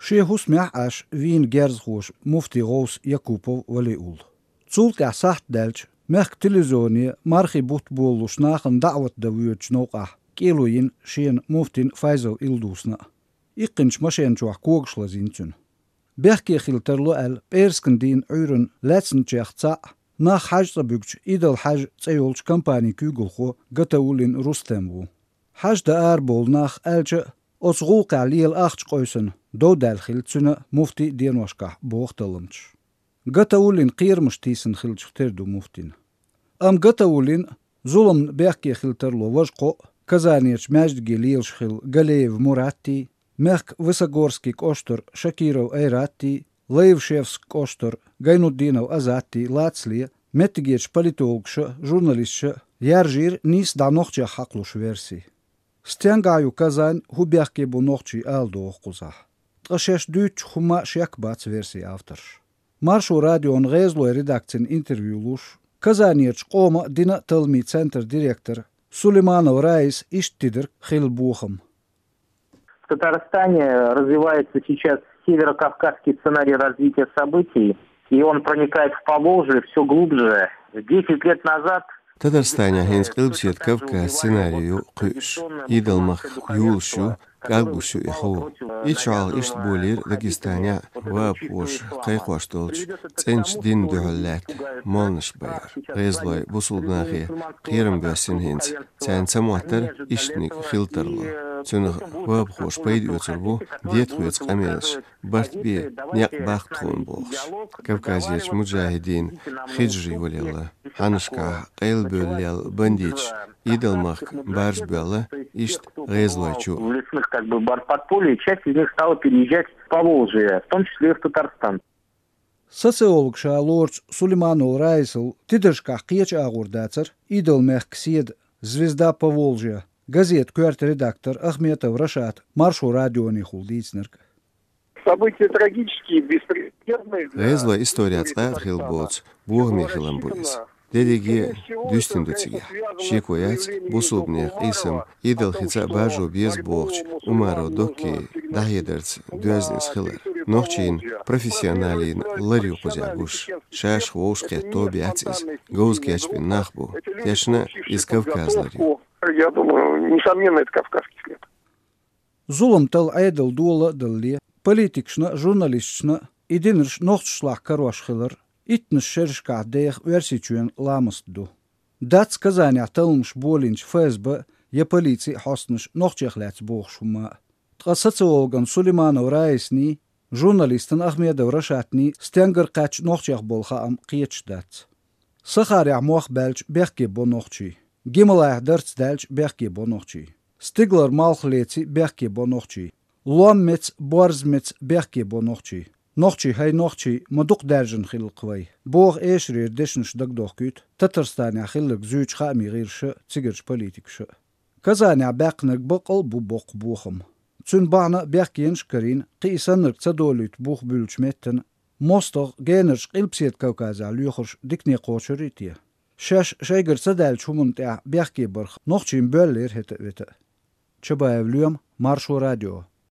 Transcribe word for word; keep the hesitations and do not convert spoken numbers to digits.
Шен хӀусамехь Ӏаш вийна герзахоша муфтий гӀовс Якупов Валиулла. Цул тӀаьхьа сахьт даьлча, мехкан телевизионе мархий бутт болалуш нахана даӀват дан воьдучу новкъахь кӀело йина шена муфтин Файзал Илдусна а. Иккхинчу машен чохь когаш лазийна цуьнан. Бехке хила тарло аьлла, пӀераскан дийнан Ӏуьйранна лаьцначех цхьаъ нах хьаьж цӀа буьгучу Идал-Хьаьж цӀе йолчу компанин куьйгалхо Гатауллин Рустем ву. Хьаьж дан арабовлу нах аьлча а, оцу гӀуллакхехь лела ахча къийсина, дов даьлла хилла цуьнан а, муфтин а деношкахь, боху талламчаша. Гатауллин кхерамаш тийсина хиллачух тера ду муфтина. Амма Гатауллин а, зуламна бехке хила тарло важа кхоъ, Казанерчу маьждиге лелаш хилла Галеев Муратти, мехкан Высогорский кӀоштара Шакиров Айратти, Лайвшевск кӀоштара Гайнутдинов Азатти лацале, меттигерчу политологаша а, журналисташа а яржийра нийса дӀа нохчех хьакхалуш верси. Стенгахь ю Казань, хӀун бехке бу нохчий, ала догӀу кхузахь. Ткъа шаьш дуьйцучух хӀумма а шек бац версин авторш. Маршо радион гӀезалойн редакцина интервью луш, Казанерчу къоман а, динан а талламийн центран директор Сулейманов Раиса иштта тидарг хилла бохам. В Татарстане развивается сейчас северокавказский сценарий развития событий, и он проникает в Поволжье все глубже. Десять лет назад Татарстане хӀинца Къилбаседа Кавказ сценарий ю кхуьуш. Идал-махка юлуш ю, кӀаглуш ю и хьу. Итт шо хьалха иштта болийра Дагестанехь а, вабахоша кхайкхош долчу цӀеначу динна дуьхьал лаьтта молланаш бан яра. ГӀезалойн бусулба нахе кхерам боьссина хӀинца. Царна ца моттара иштаниг хила тарло. Цунах вабахоша пайда оьцур бу, дета хьоьца къамелаш, барт бе, некъ баккха тхуна бохуш. Кавказерчу муджахӀидийн хиджри йолаелла, хьаннашкахь къайлабевлла лелла бандиташ Идал-махка баржабоьлла, иштта гӀезалой чу. В лесных как бы бар-, подполье, часть из них стала переезжать в Поволжье, в том числе и в Татарстан. Социолог ша лоручу Сулейманов Раисал тидаршкахь кхечу агӀор дацара Идал-мехкан седа «Звезда Поволжья» газетан коьрта редактор Ахметов Рашада Маршо радионехула дийцинарг. События трагические, беспрецедентные для ГӀезалойн истории цкъа а хилла боцу бохаме хилам бу иза. Дерриге а дуьстина ду цигахь. Шеко яц, бусулбанех къийсам Идал-хица а баржо беза бохучу Умаров Доккий дӀахьедарца доьзна иза хилар. Нохчийн профессионалийн лар ю кхузахь гуш. Шаьш вовшахкхетта тоба яц иза. Говза кечбина нах бу. Тешна, иза Кавказан лар ю. Я думаю, несомненно, это кавказский след. Зулам тала Ӏедал дола а далале, политикашна а, журналисташна а и динарш нохчашлахь карош хилар, иттанаш шерашкахь деха Оьрсийчоьнан ламаст ду. Дац Казанехь талламаш болийначу ФСБ я полицин хьостанаш нохчех лаьцна бохуш хӀумма а. Ткъа социологан Сулейманов Раисний, журналистан Ахмедов Рашатний стенгара кхаьчча нохчех болу хаам кхеташ дац. Сахарехь мох баьлча бехке бо нохчий. Гималайхь дарц даьлча бехке бо нохчий. Стигалара малх леций бехке бо нохчий. Лом меца, борз меца бехке бо нохчий. Нохчий, хӀай нохчий, ма дукха даьржина хилла-кх вай, боху эшарера дешнаш дагадохкуьйту Татарстанехь хилларг зуьйчу хаамийн гӀирсаша а, цигарчу политикаша а. Казанехь баьккхинарг баккъал а бу боккха бохам. Цуьнан бахьана а бехкенаш а карийна, кхин и саннарг ца долуьйту бух буьллучу меттана, мостагӀа генарчу Къилбаседа Кавказехь лоьхурш дикане кхочур а те? Шаьш шайгара ца даьллачу хӀуманна тӀехь бехке барх нохчийн боьллера хӀета а, вета а. Чабаев Лоьма, Маршо радио.